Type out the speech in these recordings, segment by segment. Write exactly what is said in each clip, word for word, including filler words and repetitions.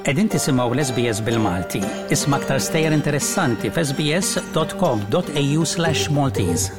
Qegħdin tisimgħu l-S B S bil-Malti. Isma' aktar stejjer interessanti f'S B S dot com dot A U slash Maltese.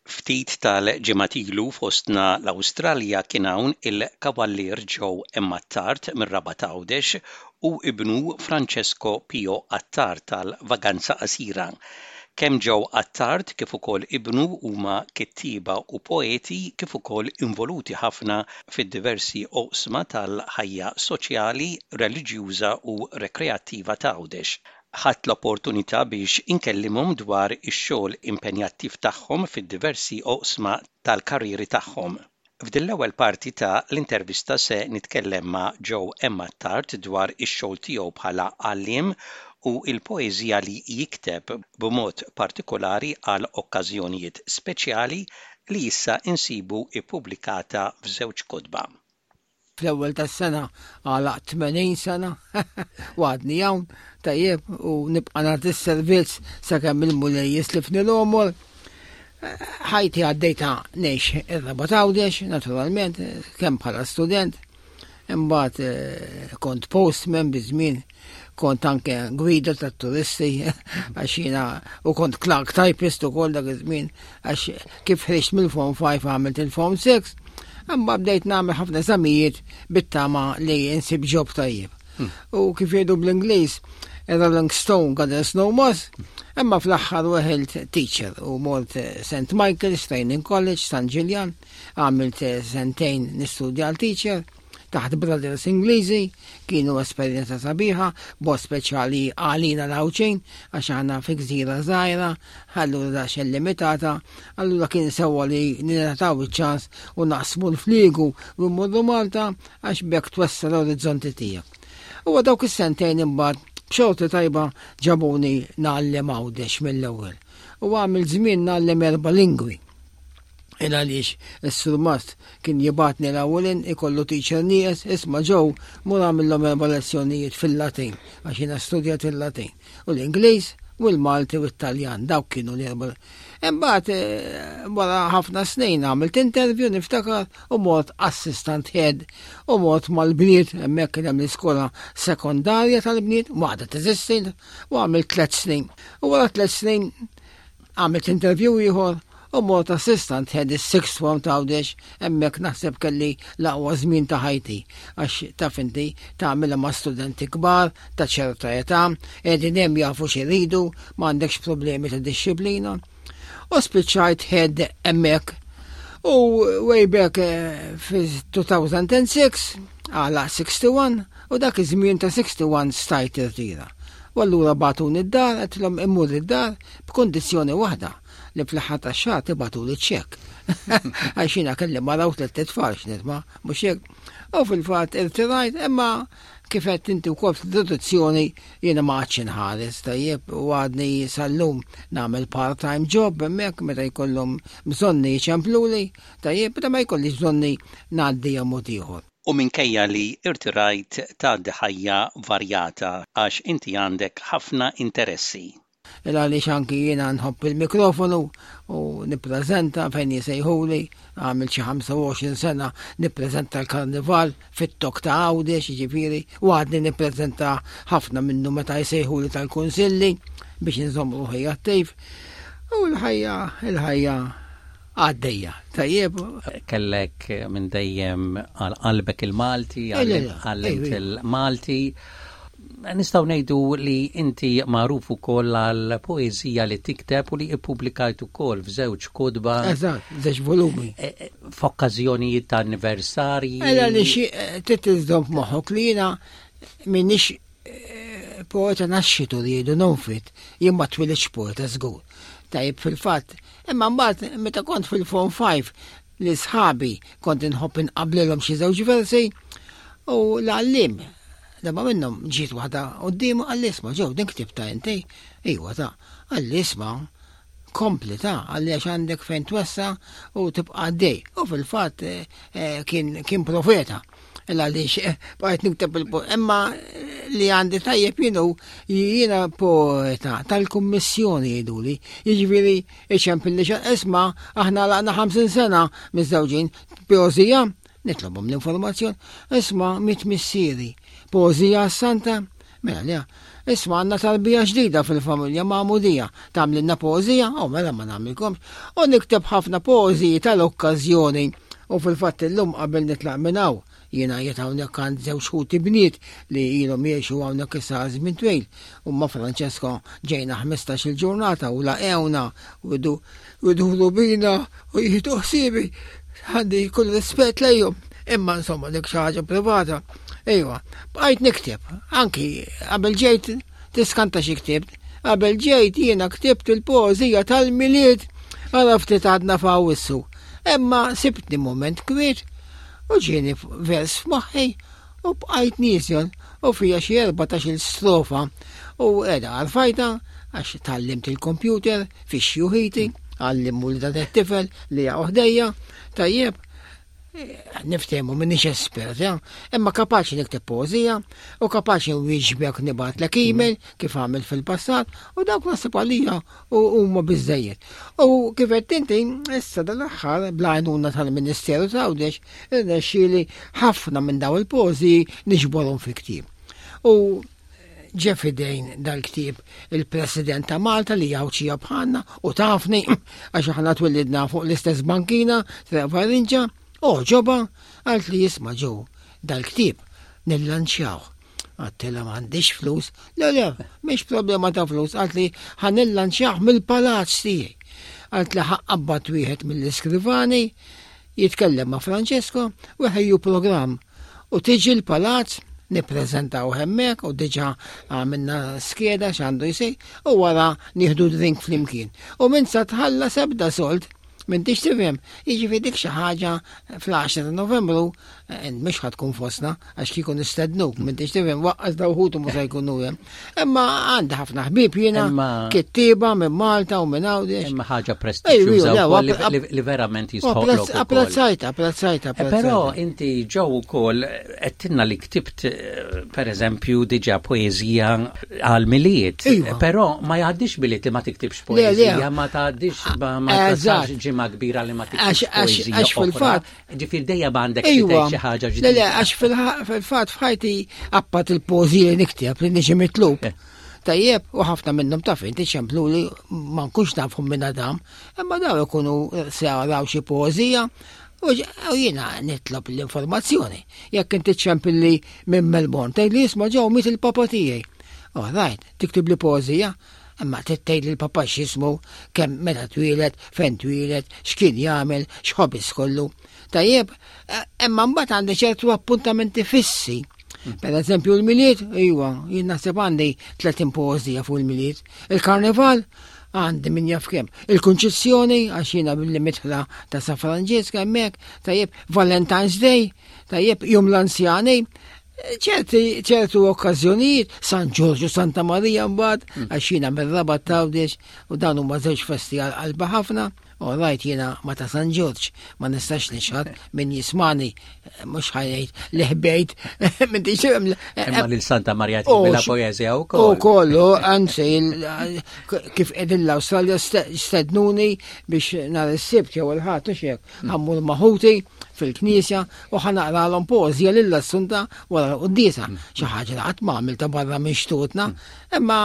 Ftit tal-ġimgħat ilu fostna l-Awstralja kien hawn il-Kavallier Joe Attard mir-Rabat Għawdex u ibnu Francesco Pio Attard tal-Vaganza Qasira. Kemm Joe Attard kif ukoll ibnu huma kittieba u poeti kif ukoll involuti ħafna fid-diversi oqsma tal-ħajja soċjali, reliġjuża u rekreattiva ta' Għawdex. Ħadt l-opportunità biex inkellimhom dwar ix-xogħol impenjattiv tagħhom fid-diversi oqsma tal-karriri tagħhom. F'din l-ewwel parti ta' l-intervista se nitkellem ma' Joe Attard dwar ix-xogħol tiegħu bħala għalliem u l-poeżija li jikteb b'mod partikolari għal okkażjonijiet speċjali li issa insibu ippubblikata f'żewġ kotba. Fl-ewwel tas-sena għalaq tmenin sena u għadni hawn, tajjeb, u nibqa' nagħti s-servizz sakemm il-Mulej jislifni l-għomor. Ħajti għaddejta ngħix ir-Rabat Għawdex, naturalment, kemm bħala student, imbagħad eh, kont postman biż-żmien, kont anke gwida tat-turisti għax jiena u kont clerk typist ukoll dak iż-żmien, għax kif ħriġt mill-Form five għamilt il-Form six. Imma bdejt nagħmel ħafna eżamijiet bit-tama li insib job tajjeb. Hmm. U kif jgħidu bl-Ingliż, "Rolling Stone gathers no moss", imma fl-aħħar weħilt teacher u mort Saint Michael's Training College, San Ġiljan, għamilt sentejn nistudja għal teacher taħt Brothers Ingliżi, kienu esperjenza sabiħa, b'mod speċjali għalina l-Għawdxin, għax aħna fi gżira żgħira, allura daqsxejn limitata, allura kien sewwa li ningħataw iċ-ċans u naqsmu l-fliegu u mmorru Malta, għax b'hekk twessa' l-orizzonti tiegħek. U dawk is-sentejn imbagħad b'xorti tajba ġabuni ngħallem Għawdex mill-ewwel. U għamil żmien ngħallem erba' lingwi. Il għaliex is-surmast kien jibgħatni l-ewwelin ikollu teacher nieqes, "Isma' Joe, mur għamillhom erba' lezzjonijiet fil-Latin", għax jiena studjat il-Latin. U l-Ingliż, u l-Malti u t-Taljan, dawk kienu l-erba'. Imbagħad eh, wara ħafna snin għamilt interview, niftakar, u mort assistant head u mort mal-bniet, hemmhekk kien hemm l-iskola sekondarja tal-bniet, waħda teżisti, u għamilt tliet snin. U wara tliet snin għamilt interview ieħor u mort assistant head is-sixth form ta' Għawdex. Hemmhekk naħseb kelli l-aqwa żmien ta' ħajti, għax taf inti tagħmilha ma' studenti kbar ta' ċerta età, qegħdin hemm jafu x'iridu, m'għandekx problemi ta' disċiplina. U spiċċajt head hemmhekk. U way back eh, fi elfejn u sitta għalaqt wieħed u sittin u dak iż-żmien ta' wieħed u sittin stajt irtira. U allura bagħtuni d-dar, għedtilhom immur id-dar b'kondizzjoni waħda, li fl-aħħar tax-xahar tibagħtuli ċekk. Għax jiena kelli mara u tliet tfal x'nitma', mhux hekk. U fil-fatt irtirajt, imma kif qed inti wkoll fl-introduzzjoni, jiena ma għadx inħares, tajjeb, u għadni sal-lum nagħmel part-time job hemmhekk meta jkollhom bżonni jċempluli, tajjeb, meta ma jkollix bżonni ngħaddi mod ieħor. U minkejja li irtirajt tgħaddi ħajja varjata għax inti għandek ħafna interessi. Il għaliex anki jiena nħobb il-mikrofonu u nippreżenta fejn jisejħuli, għamil xi ħamsa u għoxrin sena nippreżenta l-karnival fit-Tokk ta' Għawdex, jiġifieri, u għadni nippreżenta ħafna minnu meta jsejħuli tal-kunsilli biex nżomm ruħi attiv. U l-ħajja, il-ħajja għaddejja. Tajjeb. Kellek minn dejjem għal qalbek il-Malti, għallimt il-Malti. Nistgħu ngħidu li inti magħruf ukoll għal poeżija li tikteb u li ippubblikajt ukoll f'żewġ kotba. Eżatt, żewġ volumi. E, e, f'okkażjonijiet ta' anniversarji. Ela li xi trid iżżomm f'moħħok li jiena m'iniex e, poeta nascitur li jgħidu non-fit, jien ma twilidtx poeta żgur. Tajjeb, fil-fatt, imma mbagħad meta kont fil-Form five li sħabi kont inħobb inqablilhom xi żewġ versi u l-għallim darba minnhom ġiet waħda quddiemu, qalli, "Isma' Joe, din ktibtha inti?" "Iwa ta'." Qalli, "Isma', kompli ta'," qalli, "għax għandek fejn twessa' u tibqa' għaddej." U fil-fatt eh, eh, kien, kien profeta. Għaliex eh, bqajt nikteb il Imma li għandi tajjeb jienu jiena poeta tal-kummissjoni jgħiduli. Jiġifieri iċempilli isma' aħna għalaqna ħamsin sena miżżewġin, poeżija, nitlobhom l-informazzjoni, isma' miet missieri, poeżija santa, mela le, isma' għandna tarbija ġdida fil-familja magħmudija, tagħmlilna poeżija, o mela ma nagħmilkomx, u nikteb ħafna poeżiji tal-okkażjoni. U fil-fatt illum qabel nitlaq minn hawn, jiena qiegħed hawnhekk għand żewġ ħuti bniet li ilhom jgħixu hawnhekk issa żmien twil. U ma' Francesco ġejna ħmistax-il ġurnata u laqgħewna u jduru bina u jieħdu ħsiebi. Għandi kull rispett lejhom, imma insomma dik xi ħaġa privata. Ejwa, bqajt nikteb, anki qabel ġejt tiskanta xi ktibt. Qabel ġejt jiena ktibt il-poeżija tal-Milied, għara ftit għadna f'Awwissu. Imma sibtni moment kwiet u ġieni vers f'moħħi u bqajt nieżel u fija xi erbatax-il strofa u qiegħda għarfajta għax tgħallimt il-kompjuter fi xjuħiti, għallimmu li dan it-tifel li jaqgħu ħdejja, tajjeb, niftehmu m'iniex espert, ja? Imma kapaċi nikteb poeżija u kapaċi nwieġbek nibgħatlek email kif għamil fil-passat u dawk naħseb għalija u huma biżejjed. U kif qed inti issa dal-aħħar bl-għajnuna tal-Ministeru ta' Għawdex irnexxieli ħafna minn daw il-poeżiji niġborhom fi ktieb. U ġie f'idejn dal-ktieb il-President ta' Malta li Għawdxija bħalna u tafni għax aħna twillidna fuq l-istess bankina Triq Farinġa. O ġoba, għalt li jisma' ġew dal-ktieb nillanċjaw. Għedtilha m'għandix flus. Le, le, mhix problema ta' flus. Għalt li ħa nillanċjaw mill-palazz tiegħi. Għalt li ħa nqabbad wieħed mill-iskrivani jitkellem ma' Francesco u ħejju programm. U tiġi l-palazz nippreżentaw hemmhekk u diġà għamilna skeda x'għandu jsir u wara nieħdu drink flimkien. U minn sa tħallas ebda sold. M'intix tifhem, jiġifieri dik xi ħaġa fl-għaxra ta' Novembru, eh, mhux ħa tkun fostna għax kieku nistednuk, m'intix tifhem, waqqas daw ħutu mhux se jkunu hemm. Imma għandi ħafna ħbieb jiena, Imma- kittieba minn Malta u minn Għawdex. Imma ħaġa prestiġjuża Ejju, le, wkoll li- app- li- li verament jistħoqlok ukoll. Apprezzajta, apprezzajta, Eh, Però apprezzajta. inti ġew ukoll għedtilna li ktibt eh, per eżempju diġà poeżija għal Milied. Iva. Però ma jgħaddix Milied li ma tiktibx Le, le. poeżija, ma tgħaddix ma ma Eżatt. tasax ġimgħa kbira li ma tiktibx Għax- għax- poeżija għax oħra. fil-fatt- Ġifieri dejjem għandek xi Ejwa, tgħid xi ħaġa le, le, ġdida. għax fil- fil-fatt f'ħajti apparti il-poeżija li nikteb li niġi mitlub. Eh. Tajjeb, u ħafna minnhom taf inti ċemplu li ma nkunx nafhom minn Adam, imma daw ikunu saraw xi poeżija u ġ- u jiena nitlob l-informazzjoni. Jekk inti ċempilli minn Melbourne, tgħid li isma' ġew miet il-papa tiegħi. All right, tiktib li poeżija, imma tgħid li l-papa x'ismu, kemm meta twieled, fejn twieled, x'kien jagħmel, x'hobbies kollu. Tajjeb, eh, imma mbagħad għandi ċertu appuntamenti fissi. Per eżempju l-Milied, iwa, jien naħseb għandi tletin poeżija fuq il-Milied. Il-Karnival, għandi min jaf kemm. Il-Kunċizzjoni, għax jiena billi mitħla ta' San Franġisk hemmhekk, tajjeb, Valentine's Day, tajjeb, Jum l-Anzjani, ċerti ċertu okkażjonijiet, San Ġorġu, Santa Marija mbagħad, għax jiena mir-Rabat t'Għawdex u dan huma żewġ festi għal qalba ħafna. All right, jiena ma ta' San Ġorġ, ma nistax nixħad min jismani, mhux ħa jgħid li ħbejt, m'intix tifhem. Imma lil Santa Marija Oh, tibila x- poeżija U wkoll. kollu, anzi, il- kif qegħdin l-Awstralja stednuni biex nhar is-Sibt jew il-Ħadd u xek, ħa mmur ma' ħuti fil-knisja u ħa naqralhom poeżija lill-Assunta wara l-quddiesa. Xi ħaġa li qatt ma għamilta barra minn xtutna, imma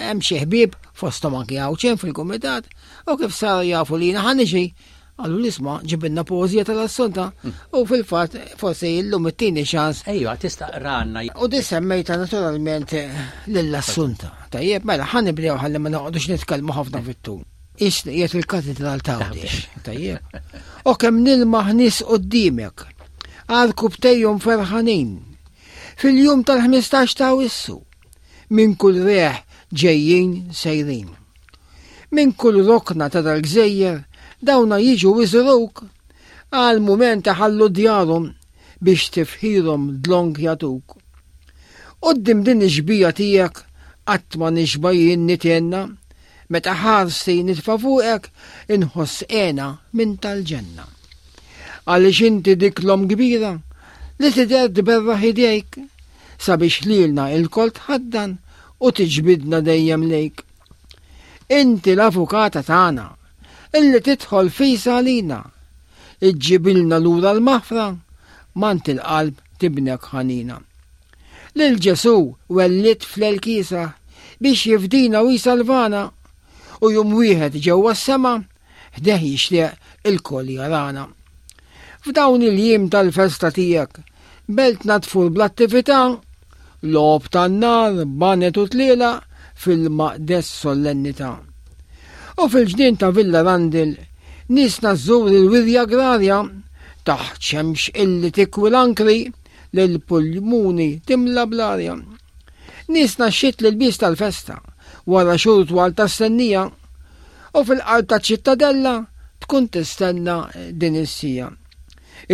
hemm xi ħbieb fosthom anki Għawdxin fil-kumitat u kif saru jafu li jiena ħa niġi Għallu l-isma ġibilna poeżija tal-Assunta u fil-fatt forsi illum it-tieni ċans. Ejwa, tista' qranna. U di semmejta naturalment lill-Assunta. Tajjeb, mela ħa nibdew ħalli ma noqgħodux nitkellmu ħafna fit-tul. Isni qiegħed il-Katedral ta' Għawdex. Tajjeb. O kemm nilmaħ nies quddiemek, għarkupptejhom ferħanin. Fil-jum tal-ħmistax ta' Awwissu, minn kull reħ ġejjin sejrin. Minn kull rokna ta' dal-gżejjer, dawna jiġu iżuruk, għal mument ħallu djarhom biex tifħirhom dlonk jatuk. Quddiem din ix-xbieha tiegħek qatt ma nixba jien nitenna, meta ħarsti nitfa' fuqek inħoss hena minn tal-ġenna. Għaliex inti dik l-omm kbira li tidher tberraħ idejk sabiex lilna ilkoll tħaddan u tiġbidna dejjem lejk. Inti l-avukata tagħna illi tidħol fis għalina, iġġibilna lura l-maħfra, m'għand il-qalb t'ibnek ħanina. Lil Ġesù wellidt fl-elkisa biex jifdina u jisalvana u jum wieħed ġewwa s-sema ħdejh jixtieq ilkoll jarana. F'dawn il-jiem tal-festa tiegħek, beltna tfur bl-attività, logħob tan-nar, baned u tlielaq fil-maqdes solennità. U fil-ġnien ta' Villa Randil, niesna żżur il-wirja agrarja taħt xemx illi tikwi l-ankri l-pulmuni timla bl-arja. Niesna xxit l-ilbies tal-festa wara xhur twal ta' stennija u fil-qalb ta' ċittadella tkun tistenna din is-siegħa.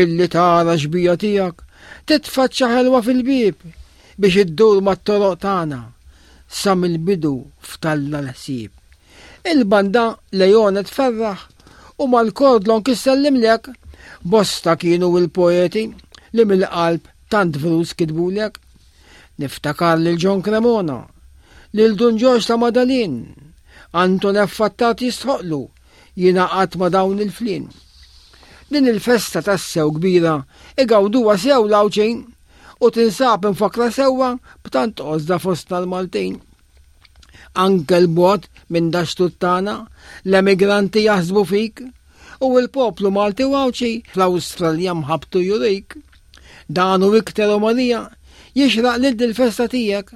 Illi tara xbieha tiegħek titfaċċa ħelwa fil-bieb biex iddur mat-toroq tagħna sa mill-bidu f'talla l-ħsieb. Il-banda Leone tferraħ u mal-kordlon kissellimlek bosta kienu il-poeti li mill-qalb tant vrus kitbulek. Niftakar lil John Cremona, lil Dun Ġorġ ta' Madalin, Anton F. Attard jistħoqlu jingħaqad ma' dawn il-flin. Din il-festa tassew kbira igawduha sew l-Għawdxin u tinsab infakra sewwa b'tant għożża fostna l-Maltin. Anke 'l bogħod minn dax-xtut tagħna l-emigranti jaħsbu fik u l-poplu Malti u Għawdxi fl-Awstralja mħabbtu jurik. Dan u iktar o Marija jixraq lil dil-festa tiegħek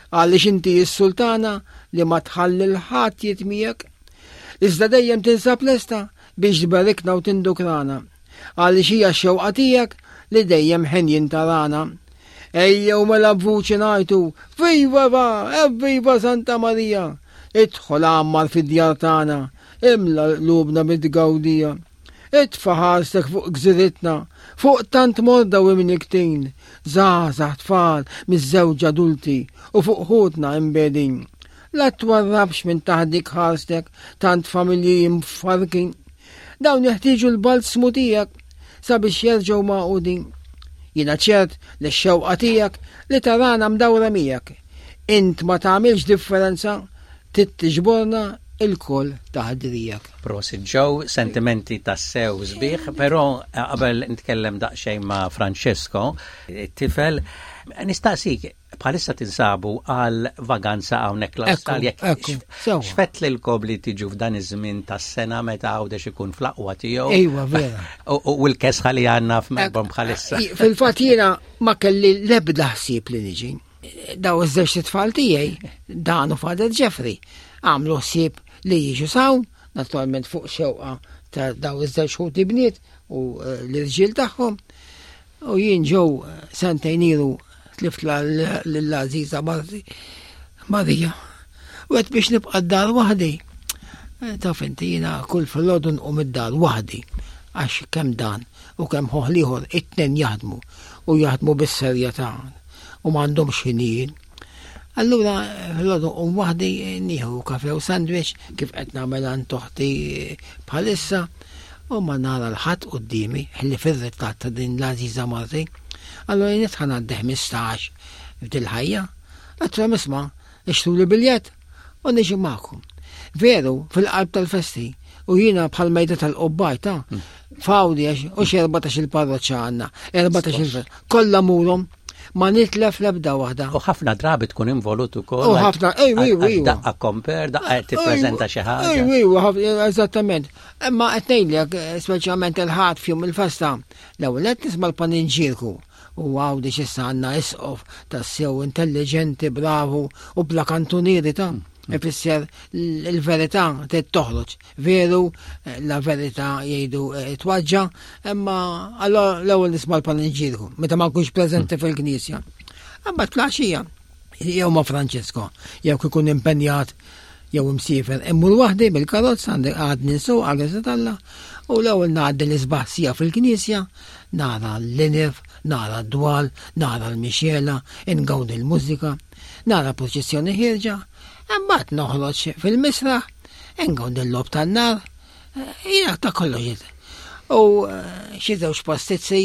għaliex inti s-sultana li ma tħalli 'l ħadd jitmiegħek. Iżda dejjem tinsab lesta biex tberikna u tindukrana għaliex hija x-xewqa tiegħek li dejjem ħenjin tarana. Ejjew mela b'vuċi ngħidu, Viva va, evviva Santa Marija! Idħol għammar fid-djar tagħna, imla qlubna bit-tgawdija. Itfa' ħarstek fuq gżiritna, fuq tant morda u imnikktin, żgħażagħ tfal, miżżewġa adulti u fuq ħutna imbegħdin. La twarrabx minn taħt dik ħarstek tant familji mfarrkin. Dawn jeħtieġu l-balsmu tiegħek sabiex jerġgħu magħqudin. Jiena ċert li x-xewqa tiegħek li tarana mdawra miegħek. Int ma tagħmilx differenza trid tiġborna ilkoll taħt driegħek. Prosit Joe, sentimenti tassew sbieħ, però eh, qabel nitkellem daqsxejn ma' Francesco, it-tifel, nistaqsik, bħalissa tinsabu għal vaganza hawnhekk l-Awstralja. Ekku, sewwa. X'fettlilkom li tiġu f'dan iż-żmien tas-sena meta Għawdex ikun fl-aqwa tiegħu? Ejwa, vera. U u l-kesħa li għandna f'Melbourne bħalissa. Fil-fatt jiena ma kelli l-ebda ħsieb li niġi. Daw iż-żewġ tfal tiegħi, Dan u Father Jeffrey, għamlu ħsieb li jiġu s'hawn, naturalment fuq xewqa ta' daw iż-żewġ ħuti bniet u eh, l-irġiel tagħhom. U jien ġew sentejn ilu tlift lill-għażiża marti Marija. U għedt biex nibqa' d-dar waħdi. Eh, Taf inti jiena kull filgħodu nqum id-dar waħdi għax kemm dan u kemm ħuh l-ieħor it-tnejn jaħdmu u jaħdmu bis-serjetà u m'għandhomx ħinijiet. Allura filgħodu nqum waħdi nieħu kafe u sandwich kif qed nagħmel għand oħti bħalissa u ma nara 'l ħadd quddiemi ħlief ir-ritratt ta' din l-għażiża marti. Allura jien ħa ngħaddi ħmistax f'dil-ħajja. Għedtilhom isma' ixtruli biljett u niġi magħkom. Veru, fil-qalb tal-festi, u jiena bħal mejda tal-qobbaj ta' f'Għawdex u xi erbatax il-parroċċa għandna, erbatax il kollha mmurhom, ma nitlef l-ebda waħda. U ħafna drabi tkun involut ukoll. U ħafna, ejwa, ejwa, ejwa. Daqqa compere, daqqa tippreżenta xi ħaġa. Ejwa, ejwa, ħafna- eżattament. Imma qed ngħidlek, speċjalment il-Ħadd f'jum il-festa, l-ewwel qed nisma' l-paninġirku. U Għawdex issa għandna isqof tassew intelligenti, bravu u bla kantunieri ta' ifisser l-verità trid toħroġ. Veru, la verità jgħidu eh, twaġġa, imma allora l-ewwel nisma' l-paninġirku, meta ma nkunx preżenti fil-knisja. Imbagħad filgħaxija, jew ma' Francesco, jew kikun impenjat jew imsiefer, immur waħdi bil-karozza għandek għadni nsuq għal t'Alla u l-ewwel ngħaddi l-isbaħ siegħa fil-knisja, nara l-linef, nara d-dwal, nara l-mixela, ingawdi l-mużika, nara proċessjoni ħierġa, imbagħad noħroġ fil-misraħ, ingawdi l-logħob tan-nar, jiena ta' kollox. U eh, xi żewġ pastizzi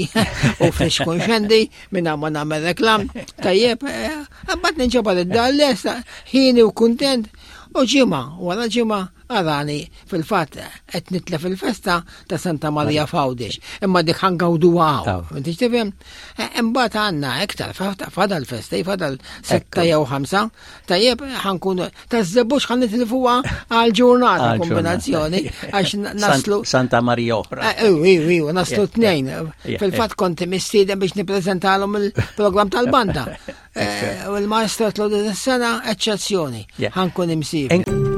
u friskun xendi minn ma nagħmel reklam. Tajjeb, eh, mbagħad ninġabar id-dar lesta, ħieni u kuntent. U ġimgħa, wara ġimgħa arani fil-fatt qed nitlef il-festa ta' Santa Maria f'Għawdex. Imma dik ħa ngawduha hawn. Inti tifhem? Eh, imbagħad għandna iktar fadal festa, fadal setta jew ħamsa. Tajjeb, ħa nkunu taż-Żebbuġ ħa nitilfuha għal ġurnata kombinazzjoni għax naslu Santa Maria oħra. Eh, Iw, iw, naslu tnejn. Fil-fatt kont mistieden biex nippreżentalhom il-programm tal-banda. Eh, u l-maestro tlu sena eċċezzjoni. Ħa nkun imsiefer.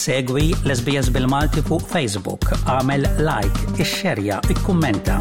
Segwi l-S B S bil-Malti fuq Facebook, għamel like, ixxerja, ikkummenta.